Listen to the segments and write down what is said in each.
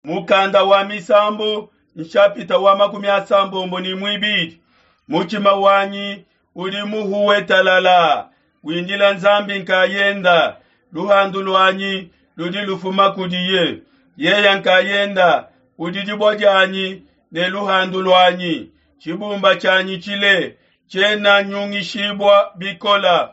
Mukanda wa Misambu nshapita wa 32. Mutshima wanyi udi muhuwe talala, windila Nzambi nkayenda. Luhandu luanyi ludi lufuma kudiye. Yeya nkayenda udi dibua dianyi ne luhandu luanyi, tshibumba tshianyi tshile, tshiena nyungishibua bikola.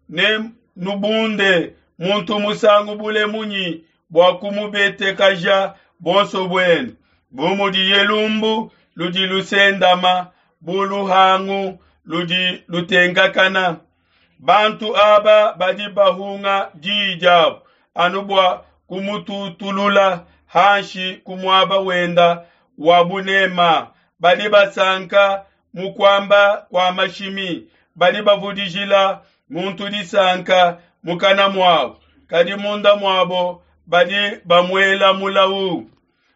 Ne nubunde muntu musangu bule munyi bua kumubetekaja buonso buenu, bu mudiye lumbu ludi lusendama, bu luhangu ludi lutenkakana. Bantu aba badi bahunga diyi diabu anu bua kumututulula hanshi ku muaba wenda wa bunema. Badi basanka mu kuamba kua mashimi, badi bavudijila muntu disanka mukana muabo, kadi munda muabo badi bamuela mulawu.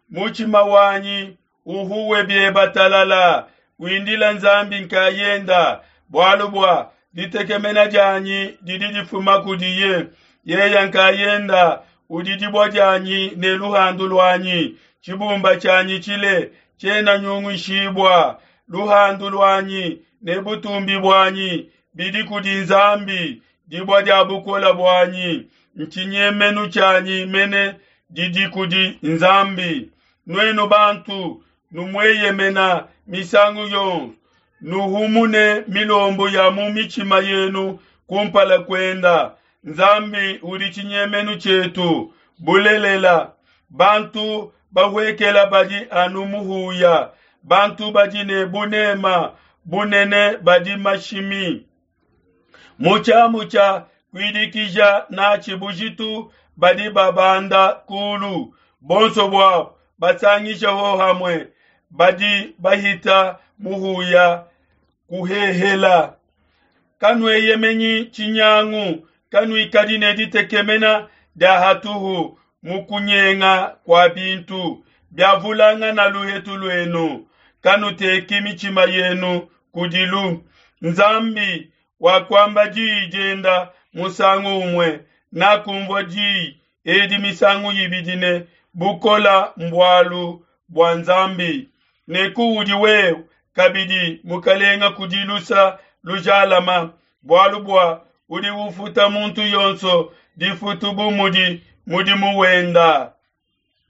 Mutshima wanyi uhuwe bieba talala, windila Nzambi nkayenda, bualu bua ditekemena dianyi didi difuma kudiye. Yeya nkayenda udi dibua dianyi ne luhandu luanyi, tshibumba tshianyi tshile tshiena nyunguishibua. Luhandu luanyi ne butumbi buanyi bidi kudi Nzambi, dibua dia bukole buanyi, ntshinyemenu tshianyi mene didi kudi Nzambi. Nuenu bantu, numueyemena misangu yonso, nuhumune milombu ya mu mitshima yenu kumpala kuenda. Nzambi udi tshinyemenu tshietu bulelela. Bantu bahuekela badi anu muhuya, bantu badi ne bunema bunene badi mashimi. Mu tshiamu tshia kuidikija natshi bujitu badi babanda kulu, bonso buabo basangisha hohamue, badi bahita muhuya kuhehela. Kanueyemenyi tshinyangu, kanuikadi ne ditekemena dia hatuhu mu kunyenga kua bintu biavulangana luhetu luenu. Kanuteki mitshima yenu kudilu. Nzambi wakuamba diyi dienda musangu umue, nakumvua diyi edi misangu ibidi ne bukola mbualu bua Nzambi. Ne kuudi wewe kabidi mukalenga kudi lusa lujalama, bualu bua udi ufuta muntu yonso difutu bu mudi mudimu wenda.